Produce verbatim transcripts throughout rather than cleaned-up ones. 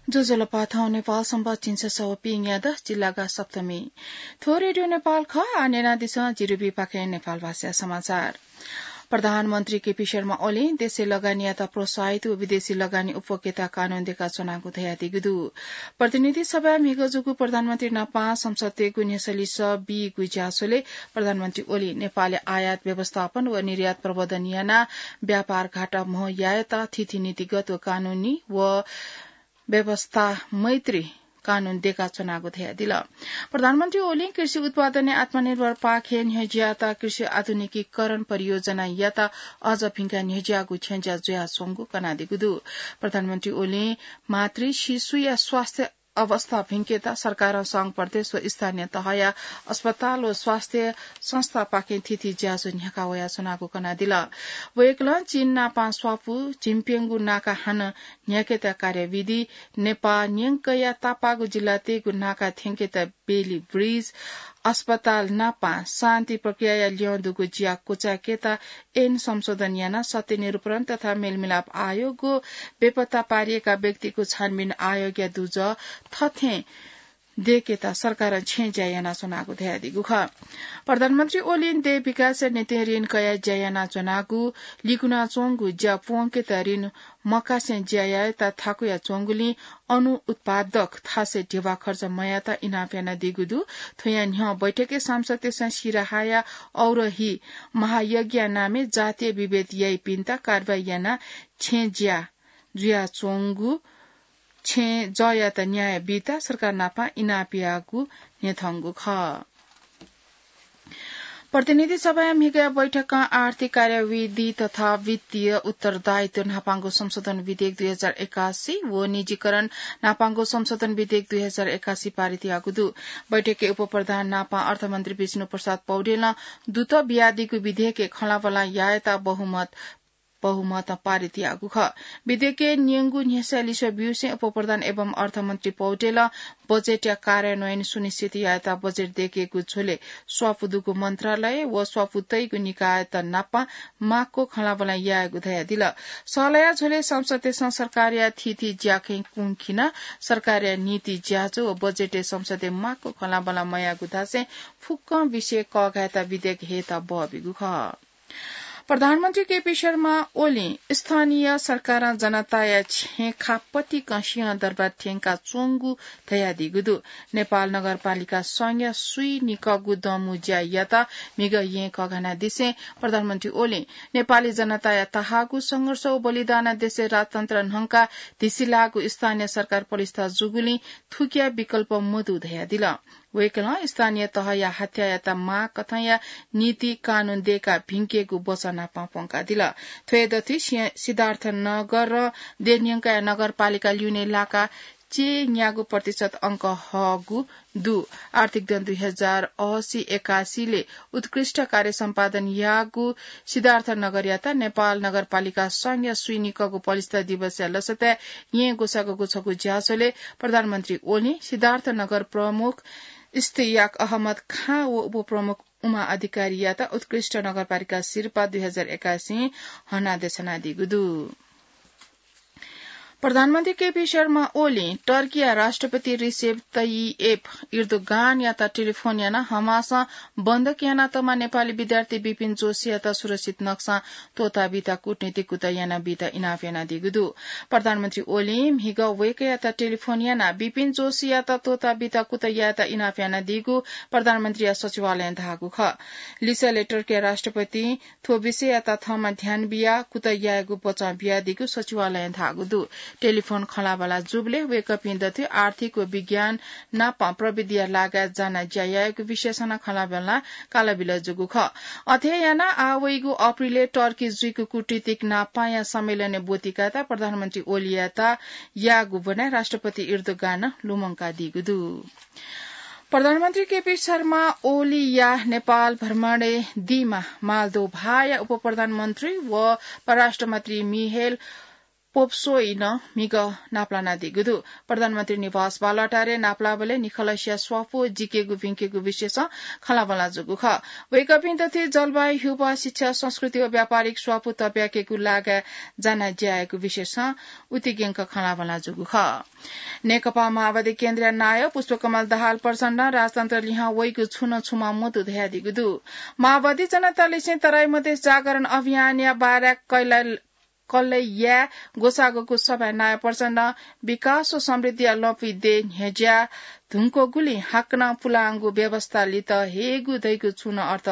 ज्वजलपा, थौं नेपाल संवत् झिंछसः व पीन्यादँ, जिल्लागा सप्तमी। थ्व रेडियो नेपाल खः, आः न्यनादिसँ जिरुबीपाखें नेपाल भाषा समाचार। प्रधानमन्त्री केपी शर्मा ओलीं देशय् लगानीयात प्रोत्साहित व विदेशी लगानी उपभोक्ता कानून देकाच्वनागु धयादीगु दु। प्रतिनिधि सभाय् म्हिगः जूगु प्रधानमन्त्री नापं संसदय् न्ह्यसः लिसः बीगु ज्याझ्वलय् प्रधानमन्त्री ओलीं नेपालय् आयात व्यवस्थापन व निर्यात प्रवर्धन यानाः व्यापार घाटा म्हो यायेत थीथी नीतिगत व कानूनी व व्यवस्था मैत्री कानून देकाच्वनागु धयादिल। प्रधानमन्त्री ओलीं कृषि उत्पादनय् आत्मनिर्भर पाखें न्ह्यज्याःत कृषि आधुनिकीकरण परियोजनायात अझ भिंकाः न्ह्यज्याःगु छेँज्या जुयाच्वंगु कनादीगु दु। प्रधानमन्त्री ओलीं मातृ शिशुया स्वास्थ्य अवस्था भिंकेत सरकारं संघ प्रदेश व स्थानीय तहया अस्पताल व स्वास्थ्य संस्थापाखें थीथी ज्याझ्वः न्ह्याका वयाच्वनागु कनादिल। वय्कलं चीन नापं स्वापू झिंप्यंगू नाका हानं न्ह्याकेत कार्यविधि, नेपाः न्यंकया तापाःगु जिल्लातय्गु नाका थ्यंकेत बेली ब्रिज, अस्पताल नापं शान्ति प्रक्रियाया ल्यं दुगु ज्या क्वचाय्केत ऐन संशोधन यानाः सत्य निरूपण तथा मेलमिलाप आयोग व बेपत्ता पारिएका व्यक्तिगु छानबिन आयोगया दुजः थथें दय्केत सरकारं छेँज्या यानाच्वनागु धयादीगु खः। प्रधानमन्त्री ओलीं देय् विकासया निंतिं ऋण कयाः ज्या यानाच्वनागु, लिकुनाच्वंगु ज्या प्वंकेत ऋण मकासें ज्या यायेत थाकुयाच्वंगुलिं अनु उत्पादक थासय् ध्यबा खर्च मयायेत इनाप यानादीगु दु। थ्वया न्ह्यः बैठकय् सांसदतय्सं सिराहाया औरही महायज्ञया नामय् जातीय विभेद याइपिन्त कारवाही यानाः छेँज्या जुयाच्वंगु छेँजःयात न्याय बीत सरकार नापं इनाप याःगु न्ह्यथंगु खः। प्रतिनिधि सभाया म्हिगःया बैठकं आर्थिक कार्यविधि तथा वित्तीय उत्तरदायित्व न्हापांगु संशोधन विधेयक दुई हजार एकासी व निजीकरण न्हापांगु संशोधन विधेयक दुई हजार एकासी पारित याःगु दु। बैठकय् उपप्रधान नापं अर्थमन्त्री विष्णु प्रसाद पौडेलं दुत बियादीगु विधेयकय् खँल्हाबल्हा यायेत बहुमत बहुमतं पारित याःगु खः। विधेयकय् न्यंगु न्ह्यसः लिसः ब्यूसें उपप्रधान एवं अर्थमन्त्री पौडेलं बजेटया कार्यान्वयन सुनिश्चित यायेत बजेट दय्केगु झ्वलय् स्वापू दुगु मन्त्रालय व स्वापू तइगु निकायत नाप माक्व खँल्हाबल्हा यायेगु धयादिल। सल्लाहया झ्वलय् संसदतय्सं सरकारया थीथी ज्याखँय् कुंखिनाः सरकारया नीति ज्याझ्वः व बजेटय् संसदय् माक्व खँल्हाबल्हा मयाःगु धासें फुक्कं विषय कःघायेत विधेयक हयेत बहःबीगु खः। प्रधानमन्त्री केपी शर्मा ओलीं स्थानीय सरकारं जनताया छेँ खापतिकं सिंहदरबार थ्यंकाच्वंगु धयादीगु दु। नेपाल नगरपालिका संघया स्वीनिकःगु दँमू ज्यायात म्हिगः येँ कःघानादिसें प्रधानमन्त्री ओलीं नेपाली जनताया तहाःगु संघर्ष व बलिदानं देशय् राजतन्त्र न्हंकाः धिसिलाःगु स्थानीय सरकार पलिस्था जूगुलिं थुकिया विकल्प मदु धयादिल। वय्कलं स्थानीय तहया हत्यायात माःकथंया नीति कानून दय्काः भिंकेगु वचन नापं प्वंकादिल। थ्वय् दथुइ सि-, सिद्धार्थनगरं देय् न्यंकया नगरपालिका ल्यूने लाकाः चय्न्यागू प्रतिशत अंक हःगु दु। आर्थिक दँ दुई हजार असी एकासीलय् उत्कृष्ट कार्य सम्पादन याःगु सिद्धार्थनगरयात नेपाल नगरपालिका संघया स्वीनिकःगु पलिस्था दिवसया लसताय् येँ ग्वसाःगु छगू ज्याझ्वलय् प्रधानमन्त्री ओलीं सिद्धार्थनगर प्रमुख इस्तियाक अहमद खाँ व उपप्रमुख उमा अधिकारीयात उत्कृष्ट नगरपालिका सिरपाः दुई हजार एकासीं हनादेछानादीगु दु। प्रधानमन्त्री केपी शर्मा ओलीं टर्कीया राष्ट्रपति रिसेप तय्यिप इर्दोगानयात टेलिफोन यानाः हमासं बन्धक यानातःम्ह नेपाली विद्यार्थी विपिन जोशीयात सुरक्षित नक्सां त्वःताबीत कूटनीतिक कुतः यानाबीत इनाप यानादीगु दु। प्रधानमन्त्री ओलीं म्हिगः वय्कःयात टेलिफोन यानाः विपिन जोशीयात त्वःताबीत कुतः यायेत इनाप यानादीगु प्रधानमन्त्रीया सचिवालयं धाःगु खः। लिसः लय् टर्कीया राष्ट्रपतिं थ्व विषययात थःम्हं ध्यान बियाः कुतः यायेगु बचं बियादीगु सचिवालयं धाःगु दु। टेलिफोन खँल्हाबल्हा जूबलय् वय्कःपिं दथुइ आर्थिक व विज्ञान नापं प्रविधिया लागाय् जानाः ज्या यायेगु विषयसं नं खँल्हाबल्हा कालाबिल जूगु खः। अथे यानाः आः वइगु अप्रिलय् टर्की जुइगु कूटनीतिक नापांया सम्मेलनय् ब्वति कायेत प्रधानमन्त्री ओलीयात याःगु ब्वनाः राष्ट्रपति इर्दोगानं लुमंकादीगु दु। प्रधानमन्त्री केपी शर्मा ओलीया नेपाल भ्रमणय् दीम्ह मालदोभाया उपप्रधानमन्त्री व परराष्ट्रमन्त्री मिहेल पोप्सोइ नं म्हिगः नापलानादीगु दु। प्रधानमन्त्री निवास बालुवाटारय् नापलाःबलय् निखलसिया स्वापू जिकेगु भिंकेगु विषयसं खँल्हाबल्हा जूगु खः। वय्कःपिं दथुइ जलवायु, ह्यूपाः, शिक्षा, संस्कृति व व्यापारिक स्वापू तब्याकेगु लागाय् जानाः ज्या यायेगु विषयसं उतिग्यंक खँल्हाबल्हा जूगु खः। नेकपा माओवादी केन्द्रया नायः पुष्पकमल दाहाल प्रचण्डं राजतन्त्र लिहां वइगु छुं नं छुमा मदु धयादीगु दु। माओवादी जनता लिसें तराई मधेस जागरण अभियानया बारा कैला कल्लय् याये ग्वसाःगु सभाय् नायः प्रचण्डं विकास व समृद्धिया लँपुइ दये न्ह्यज्याः धुंकूगुलिं हाकनं पुलांगु व्यवस्था लित हयेगु धइगु छुं नं अर्थ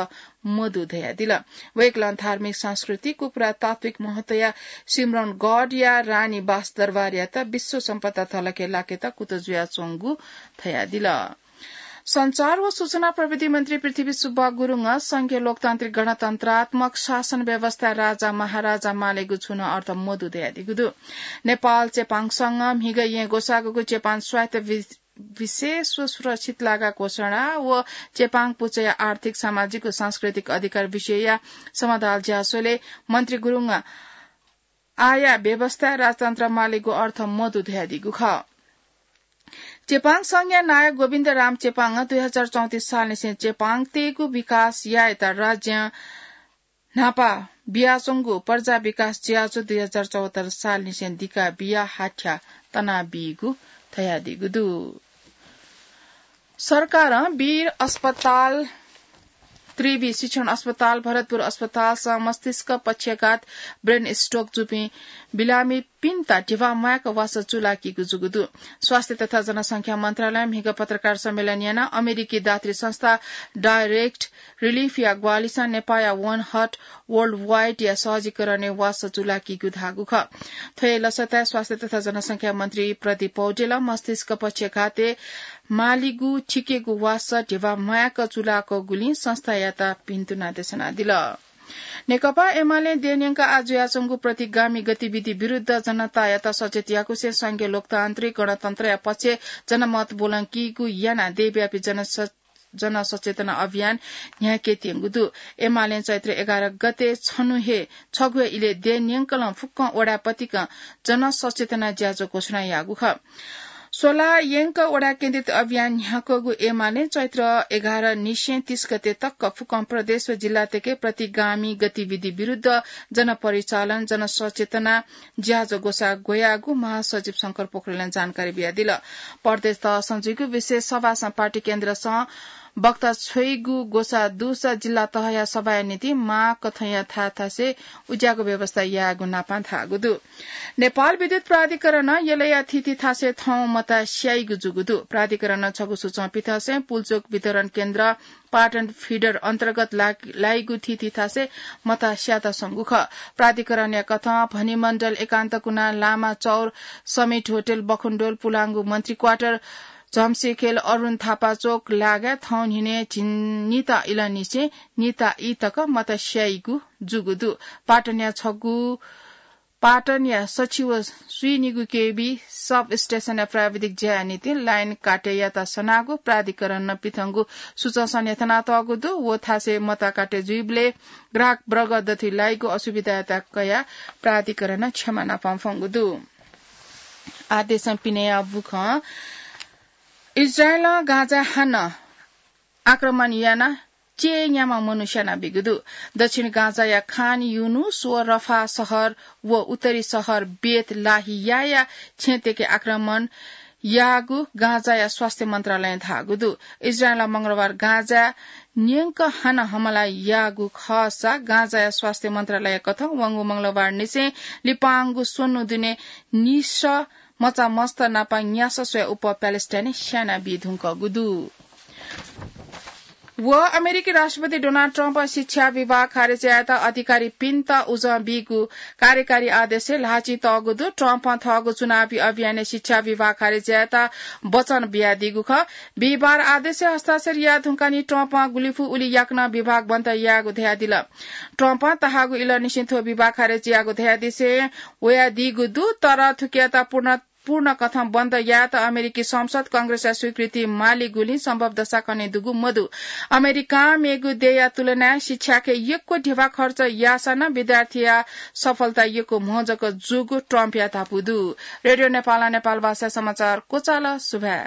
मदु धयादिल। वय्कलं धार्मिक सांस्कृतिक व पुरातात्विक महत्वया सिम्रौनगढया रानी बास दरबारयात विश्व सम्पदा धलखय् लाकेत कुतः जुयाच्वंगु धयादिल। सञ्चार व सूचना प्रविधि मन्त्री पृथ्वी सुब्बा गुरुङं संघीय लोकतान्त्रिक गणतन्त्रात्मक शासन व्यवस्था राजा महाराजा मालेगु छुं नं अर्थ मदु धयादीगु दु। नेपाल चेपाङ संघं म्हिगः येँ ग्वसाःगु चेपाङ स्वायत्त वि-, विशेष व सुरक्षित लागा घोषणा व चेपाङ पुचःया आर्थिक, सामाजिक व सांस्कृतिक अधिकार विषयया समाधान ज्यासोले मन्त्री गुरुङं आःया व्यवस्था राजतन्त्र मालेगु अर्थ मदु धयादीगु खः। चेपाङ संघया नायः गोविन्द राम चेपाङं दुई हजार चौतिस सालनिसें चेपाङतय्गु विकास यायेत राज्यं न्हापा बियाच्वंगु प्रजा विकास ज्याझ्वः दुई हजार चौहत्तर सालनिसें दिका बियाः हाथ्या तनाबीगु धयादीगु दु। सरकारं वीर अस्पताल, त्रिवि शिक्षण अस्पताल, भरतपुर अस्पतालसं मस्तिष्क पक्षघात, brain stroke जूपिं बिरामीपिन्त धिबा म्वायेक वासः चूलाकीगु जूगु दु। स्वास्थ्य तथा जनसंख्या मन्त्रालयं म्हिगः पत्रकार सम्मेलन यानाः अमेरिकी दात्री संस्था Direct Relief या ग्वाहालिसं नेपाःया One Heart Worldwide या सहजीकरणय् वासः चूलाकीगु धाःगु खः। थ्व हे लसताय् स्वास्थ्य तथा जनसंख्या मन्त्री प्रदीप पौडेलं मस्तिष्क पक्षघातय् मालीगु थिकेगु वासः धिबा म्वायेक चूलाकूगुलिं संस्थायात भिन्तुना देछानादिल। नेकपा एमालें देय् न्यंक आः जुयाच्वंगु प्रतिगामी गतिविधि विरुद्ध जनतायात सचेत याकुसें संघीय लोकतान्त्रिक गणतन्त्रया पक्षय् जनमत ब्वलंकीगु यानाः देय्‌व्यापी जन स-, जनसचेतना अभियान न्ह्याकेत्यंगु दु। एमालें चैत्र एघार गते छन्हु हे, छगू हे इलय् देय् न्यंकलं फुक्कं वडा पतिकं जनसचेतना ज्याझ्वः घोषणा याःगु खः। स्वला यंक वडा केन्द्रित अभियान न्ह्याकूगु एमालें चैत्र एघार निसें तीस गते तक फुक्कं प्रदेश व जिल्लातय्के प्रतिगामी गतिविधि विरुद्ध जनपरिचालन, जनसचेतना ज्याझ्वः ग्वसाः ग्वयागु महासचिव शंकर पोखरेलं जानकारी बियादिल। प्रदेश तहसं जुइगु विशेष सभासं पार्टी केन्द्रसं वक्ता छ्वइगु ग्वसाः दुसा जिल्ला तहया सभाया निंतिं माःकथंया थाय् थासय् उज्याःगु व्यवस्था यायेगु नापं धाःगु दु। नेपाल विद्युत प्राधिकरणं यलया थीथी थासय् थौं मता स्याइगु जूगु दु। प्राधिकरणं छगू सूचं पिथंसें पुल्चोक वितरण केन्द्र पाटन फिडर अन्तर्गत ला-, लाइगु थीथी थासय् मता स्यात संगु खः। प्राधिकरणया कथं भनिमण्डल, एकान्तकुना, लामा चौर, समिट होटल, बखुन्डोल, पुलांगु मन्त्री क्वार्टर, झम्सेखेल, अरुण थापा चोक लागाय् थौं न्हिनय् झिंनिता इलंनिसें निता ई तक मता स्याइगु जूगु दु। पाटनया छगू, पाटनया सछि व स्वीनिगू केबी सब स्टेशनया प्राविधिक ज्याया निंतिं लाइन काटेयात सनागु प्राधिकरणं पिथंगु सूचंसं न्ह्यथनातःगु दु। व थासय् मता काटे जुइबलय् ग्राहक वर्ग दथुइ लाइगु असुविधायात कयाः प्राधिकरणं क्षमा नापं फ्वंगु दु। आदेशं पिनेया बुखं इजरायलं गाजा हानं आक्रमण यानाः चय्‌न्याम्ह मनू स्यानाबीगु दु। दक्षिण गाजाया खान युनुस व रफाह शहर व उत्तरी शहर बेत लाहियाया छेँतय्‌के आक्रमण याःगु गाजाया स्वास्थ्य मन्त्रालयं धाःगु दु। इजरायलं मंगलबार गाजा न्यंक हानं हमला याःगु खःसा गाजाया स्वास्थ्य मन्त्रालय कथं वंगु मंगलबार निसें लिपांगु स्वन्हु दुने निसः मचा मस्त नापं न्यासः स्वयाः उप प्यालेस्टाइनय् स्यानाबी धुंकूगु दु। व अमेरिकी राष्ट्रपति डोनाल्ड ट्रम्पं शिक्षा विभाग खारेज यायेत अधिकारीपिन्त उजं बीगु कार्यकारी आदेशय् ल्हाःचिं तःगु दु। ट्रम्पं थःगु चुनावी अभियानय् शिक्षा विभाग खारेज यायेत वचन बियादीगु खः। बिहिबार आदेशय् हस्ताक्षर याये धुंकाः नि ट्रम्पं गुलिफु उलि याकनं विभाग बन्द यायेगु धयादिल। ट्रम्पं तःहाःगु इलंनिसें थ्व विभाग खारेज यायेगु धयादिसें वयादीगु दु, तर थुकियात पूर्ण पूर्ण कथं बन्द यायेत अमेरिकी संसद कंग्रेसया स्वीकृति मालीगुलिं सम्भव दशा कने दुगु मदु। अमेरिकां मेगु देय्‌या तुलनाय् शिक्षाके यक्व धिबा खर्च याःसा नं विद्यार्थीया सफलता यक्व म्हो जक जूगु ट्रम्पया धापू दु। रेडियो नेपाल, नेपाल भाषा समाचार क्वचाल। सुभाय्।